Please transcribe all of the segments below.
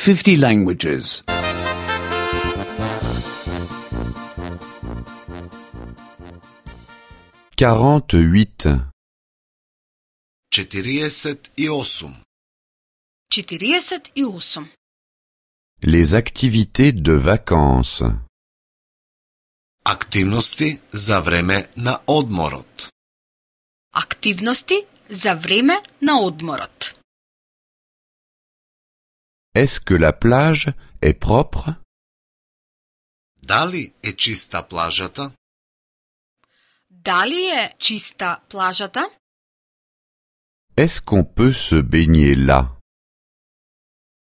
50 languages. 48. 48. 48. Les activités de vacances. Aktivnosti za vreme na odmorot. Aktivnosti za vreme na odmorot. Est-ce que la plage est propre? Da li je čista plažata? Da li je čista plažata? Est-ce qu'on peut se baigner là?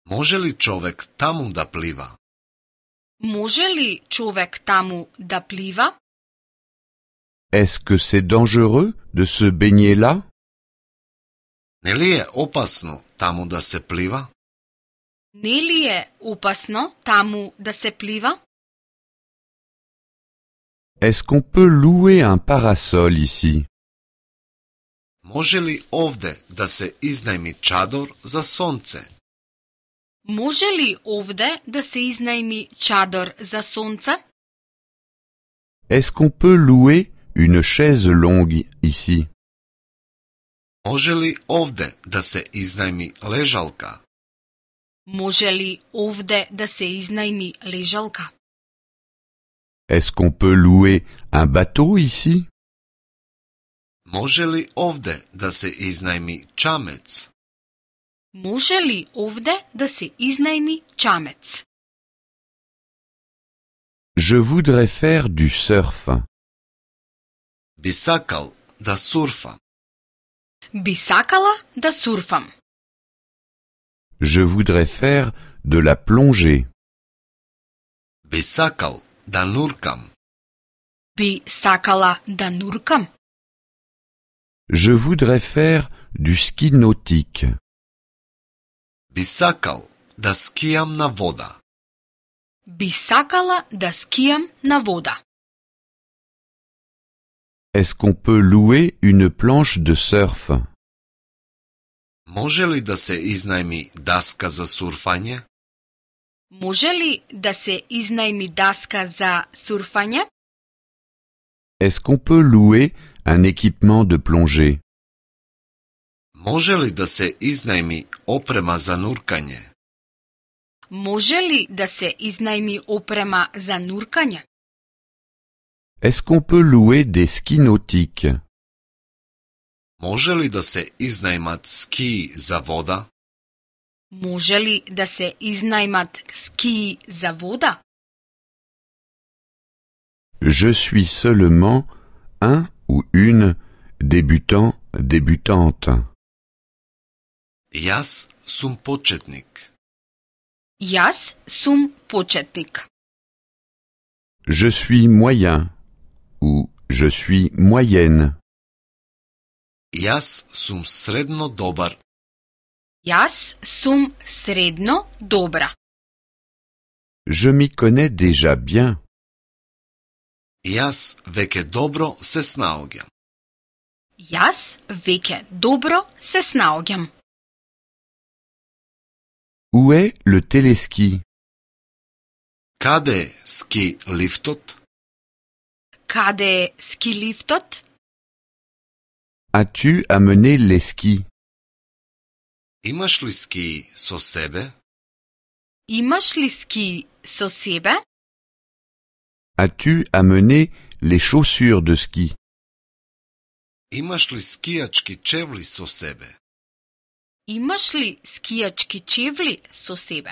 Može li čovek tamo da pliva? Može li čovek tamo da pliva? Est-ce que c'est dangereux de se baigner là? Ne li je opasno tamo da se pliva? Ne li je opasno tamo da se pliva? Est-ce qu'on peut louer un parasol ici? Može li ovde da se iznajmi čador za sonce? Može li ovde da se iznajmi čador za sonce? Est-ce qu'on peut louer une chaise longue ici? Može li ovde da se iznajmi ležalka? Može li ovde da se iznajmi ležalka? Est-ce qu'on peut louer un bateau ici? Može li ovde da se iznajmi čamec? Može li ovde da se iznajmi čamec? Je voudrais faire du surf. Bi sakal da surfa. Bi sakala da surfam. Je voudrais faire de la plongée. Bi sakal da nurkam. Bi sakala da nurkam. Je voudrais faire du ski nautique. Bi sakal da skijam na voda. Bi sakala da skijam na voda. Est-ce qu'on peut louer une planche de surf? Može li da se iznajmi daska za surfanje? Može li da se iznajmi daska za surfanje? Est-ce qu'on peut louer un équipement de plongée? Može li da se iznajmi oprema za nurkanje? Može li da se iznajmi oprema za nurkanje? Est-ce qu'on peut louer des skis nautiques? Može li da se iznajmat skiji za voda? Može li da se iznajmat skiji za voda? Je suis seulement un ou une débutant, débutante. Jas sum početnik. Jaz sum početnik. Je suis moyen ou je suis moyenne. Jas sum sredno dobar. Jaz sum sredno dobra. Je m'y connais déjà bien. Jas veke dobro se snaogjam. Jaz veke dobro se snaogjam. Où est le téléski? Kade je ski liftot? Kade je ski liftot? As-tu amené les skis? Imaš li ski so sebe? Imaš li ski so sebe? As-tu amené les chaussures de ski? Imaš li skijački čevli so sebe? Imaš li skijački čevli so sebe?